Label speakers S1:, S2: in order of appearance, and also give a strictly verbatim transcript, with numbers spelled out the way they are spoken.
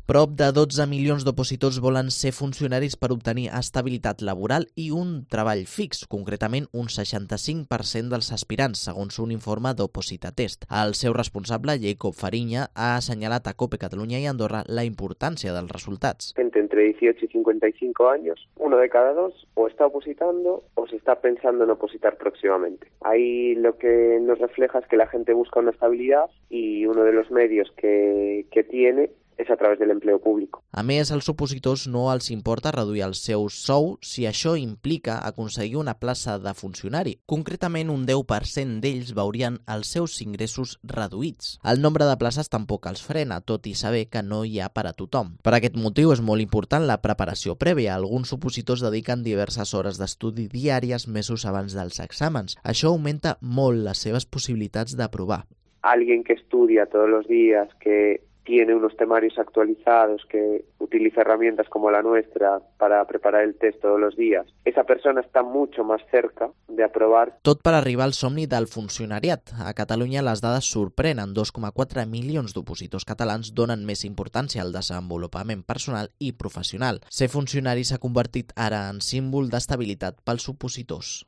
S1: Prop de dotze milions d'opositors volen ser funcionaris per obtenir estabilitat laboral i un treball fix, concretament un seixanta-cinc per cent dels aspirants, segons un informe d'Opositatest. El seu responsable, Jacob Fariña, ha assenyalat a COPE Catalunya i Andorra la importància dels resultats.
S2: Gente entre dieciocho y cincuenta y cinco años, uno de cada dos o está opositando o se está pensando en opositar próximamente. Ahí lo que nos refleja es que la gente busca una estabilidad y uno de los medios que, que tiene és a través de l'empleo públic.
S1: A més, als opositors no els importa reduir el seu sou si això implica aconseguir una plaça de funcionari. Concretament, un deu per cent d'ells veurien els seus ingressos reduïts. El nombre de places tampoc els frena, tot i saber que no hi ha per a tothom. Per aquest motiu és molt important la preparació prèvia. Alguns opositors dediquen diverses hores d'estudi diàries mesos abans dels exàmens. Això augmenta molt les seves possibilitats d'aprovar.
S2: Alguien que estudia todos los días, que tiene unos temarios actualizados, que utiliza herramientas como la nuestra para preparar el test todos los días, esa persona está mucho más cerca de aprobar.
S1: Tot per arribar al somni del funcionariat. A Catalunya les dades sorprenen. dos coma quatre milions d'opositors catalans donen més importància al desenvolupament personal i professional. Ser funcionari s'ha convertit ara en símbol d'estabilitat pels opositors.